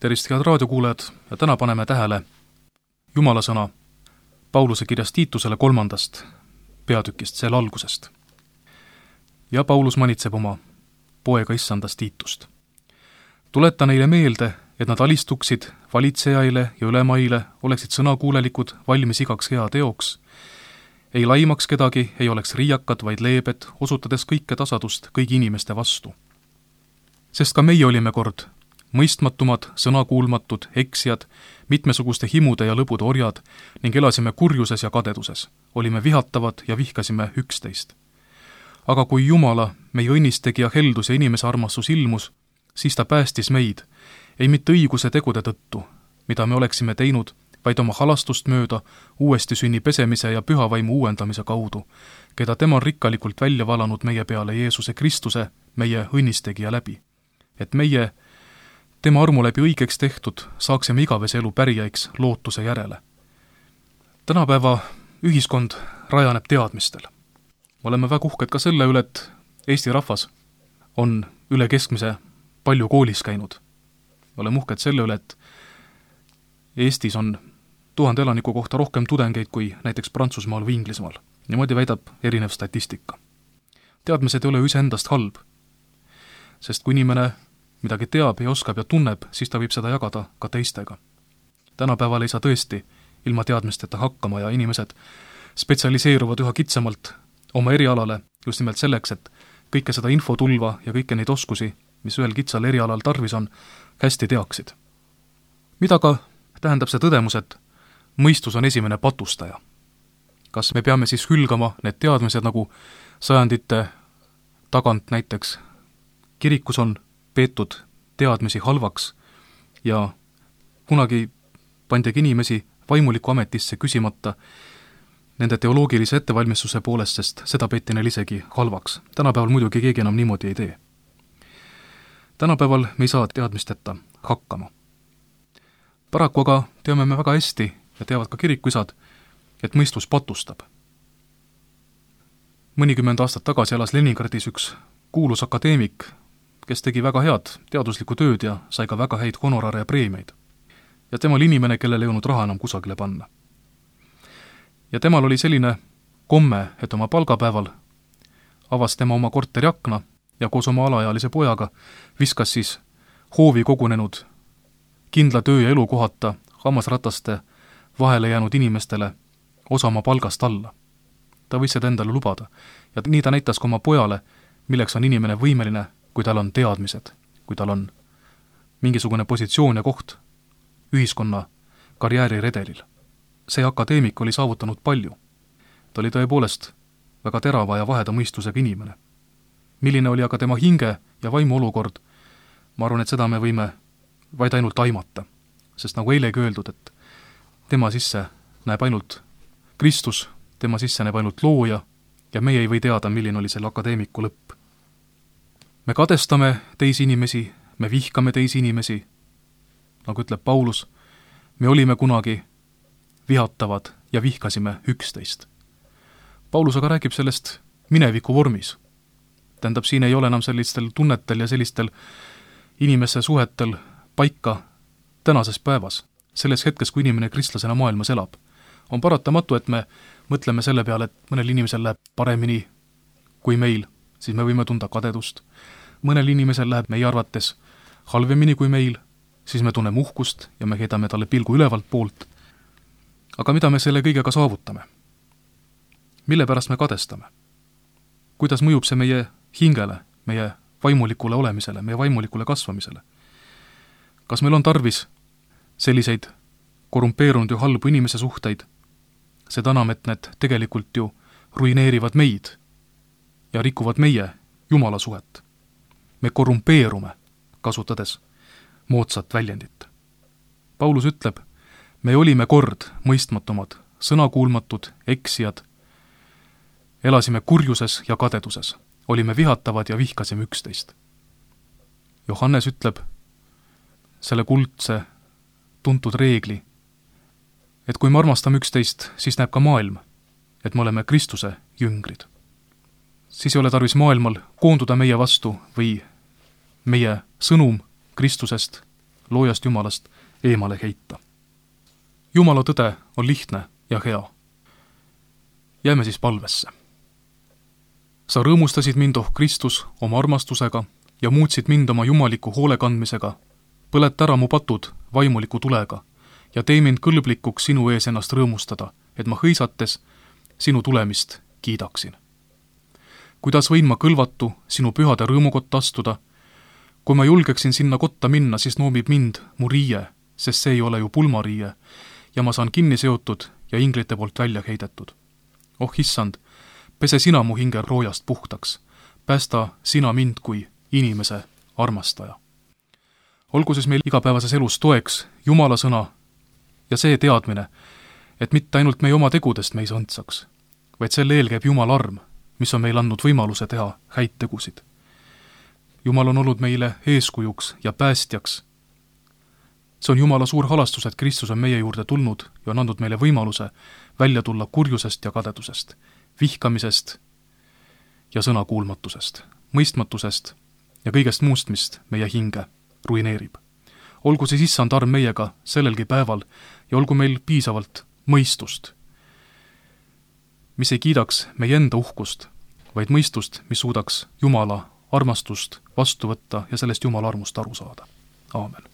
Tervist, head raadiokuulajad, ja täna paneme tähele Jumala sõna Pauluse kirjast Tiitusele 3. peatükist, selle algusest. Ja Paulus manitseb oma poega issandast Tiitust. Tuleta neile meelde, et nad alistuksid valitsejaile ja ülemaile, oleksid sõnakuulelikud, valmis igaks hea teoks, ei laimaks kedagi, ei oleks riiakad, vaid leebed, osutades kõike tasadust kõigi inimeste vastu. Sest ka meie olime kord mõistmatumad, sõnakuulmatud, eksijad, mitmesuguste himude ja lõbude orjad ning elasime kurjuses ja kadeduses. Olime vihatavad ja vihkasime üksteist. Aga kui Jumala, meie õnnistegija heldus ja inimese armastus ilmus, siis ta päästis meid, ei mitte õiguse tegude tõttu, mida me oleksime teinud, vaid oma halastust mööda uuesti sünni pesemise ja pühavaimu uuendamise kaudu, keda tema on rikkalikult välja valanud meie peale Jeesuse Kristuse, meie õnnistegija läbi. Et meie tema armu läbi õigeks tehtud, saaksime igavese elu pärijaiks lootuse järele. Tänapäeva ühiskond rajaneb teadmistel. Oleme väga uhked ka selle üle, et Eesti rahvas on üle keskmise palju koolis käinud. Oleme uhked selle üle, et Eestis on 1000 elaniku kohta rohkem tudengeid kui näiteks Prantsusmaal või Inglismaal. Niimoodi väidab erinev statistika. Teadmised ei ole iseendast halb, sest kui inimene midagi teab ja oskab ja tunneb, siis ta võib seda jagada ka teistega. Tänapäeval ei saa tõesti ilma teadmisteta hakkama ja inimesed spetsialiseeruvad üha kitsamalt oma erialale just nimelt selleks, et kõike seda infotulva ja kõike neid oskusi, mis ühel kitsal erialal tarvis on, hästi teaksid. Mida ka tähendab see tõdemus, et mõistus on esimene patustaja? Kas me peame siis hülgama need teadmised, nagu sajandite tagant näiteks kirikus on peetud teadmisi halvaks ja kunagi pandigi inimesi vaimuliku ametisse küsimata nende teoloogilise ettevalmistuse poolest, sest seda peeti neil isegi halvaks. Tänapäeval muidugi keegi enam niimoodi ei tee. Tänapäeval me ei saa teadmisteta hakkama. Paraku aga teame me väga hästi ja teavad ka kirikuisad, et mõistus patustab. Mõnikümmend aastat tagasi elas Leningradis üks kuulus akadeemik, kes tegi väga head teaduslikku tööd ja sai ka väga häid honorare ja preemiaid. Ja tema oli inimene, kellel ei olnud raha enam kusagile panna. Ja temal oli selline komme, et oma palgapäeval avas tema oma korteri akna ja koos oma alaealise pojaga viskas siis hoovi kogunenud kindla töö ja elukohata hammasrataste vahele jäänud inimestele osa oma palgast alla. Ta võis seda endale lubada ja nii ta näitas ka oma pojale, milleks on inimene võimeline, kui tal on teadmised, kui tal on mingisugune positsioon ja koht ühiskonna karjääriredelil. See akadeemik oli saavutanud palju. Ta oli tõepoolest väga terava ja vaheda mõistusega inimene. Milline oli aga tema hinge ja vaimu olukord, ma arvan, et seda me võime vaid ainult aimata, sest nagu eilegi öeldud, et tema sisse näeb ainult Kristus, tema sisse näeb ainult looja ja meie ei või teada, milline oli selle akadeemiku lõpp. Me kadestame teisi inimesi, me vihkame teisi inimesi, nagu ütleb Paulus, me olime kunagi vihatavad ja vihkasime üksteist. Paulus aga räägib sellest mineviku vormis. Tähendab, siin ei ole enam sellistel tunnetel ja sellistel inimese suhetel paika tänases päevas, selles hetkes, kui inimene kristlasena maailmas elab. On paratamatu, et me mõtleme selle peale, et mõnel inimesel läheb paremini kui meil, siis me võime tunda kadedust. Mõnel inimesel läheb meie arvates halvemini kui meil, siis me tunneme uhkust ja me heidame talle pilgu ülevalt poolt. Aga mida me selle kõigega saavutame? Mille pärast me kadestame? Kuidas mõjub see meie hingele, meie vaimulikule olemisele, meie vaimulikule kasvamisele? Kas meil on tarvis selliseid korrumpeerunud ja halbu inimese suhteid? Seda enam, et need tegelikult ju ruineerivad meid ja rikuvad meie Jumala suhet. Me korrumpeerume, kasutades moodsat väljendit. Paulus ütleb, me olime kord mõistmatumad, sõnakuulmatud, eksijad, elasime kurjuses ja kadeduses, olime vihatavad ja vihkasime üksteist. Johannes ütleb selle kuldse tuntud reegli, et kui me armastame üksteist, siis näeb ka maailm, et me oleme Kristuse jüngrid. Siis ei ole tarvis maailmal koonduda meie vastu või meie sõnum Kristusest loojast Jumalast eemale heita. Jumala tõde on lihtne ja hea. Jääme siis palvesse. Sa rõõmustasid mind, oh Kristus, oma armastusega ja muutsid mind oma jumaliku hoolekandmisega. Põlet ära mu patud vaimuliku tulega ja tee mind kõlblikuks sinu ees ennast rõõmustada, et ma hõisates sinu tulemist kiidaksin. Kuidas võin ma kõlvatu sinu pühade rõõmukotta astuda? Kui ma julgeksin sinna kotta minna, siis noomib mind mu riie, sest see ei ole ju pulmariie, ja ma saan kinni seotud ja inglite poolt välja heidetud. Oh issand, pese sina mu hinge roojast puhtaks, päästa sina mind kui inimese armastaja. Olgu siis meil igapäevases elus toeks Jumala sõna ja see teadmine, et mitte ainult meie oma tegudest me ei sõntsaks, vaid selle eel käib Jumala arm, mis on meil andnud võimaluse teha häid tegusid. Jumal on olnud meile eeskujuks ja päästjaks. See on Jumala suur halastus, et Kristus on meie juurde tulnud ja on andnud meile võimaluse välja tulla kurjusest ja kadedusest, vihkamisest ja sõnakuulmatusest, mõistmatusest ja kõigest muust, mis meie hinge ruineerib. Olgu siis issand arm meiega sellelgi päeval ja olgu meil piisavalt mõistust, mis ei kiidaks meie enda uhkust, vaid mõistust, mis suudaks Jumala armastust vastu võtta ja sellest Jumala armust aru saada. Aamen.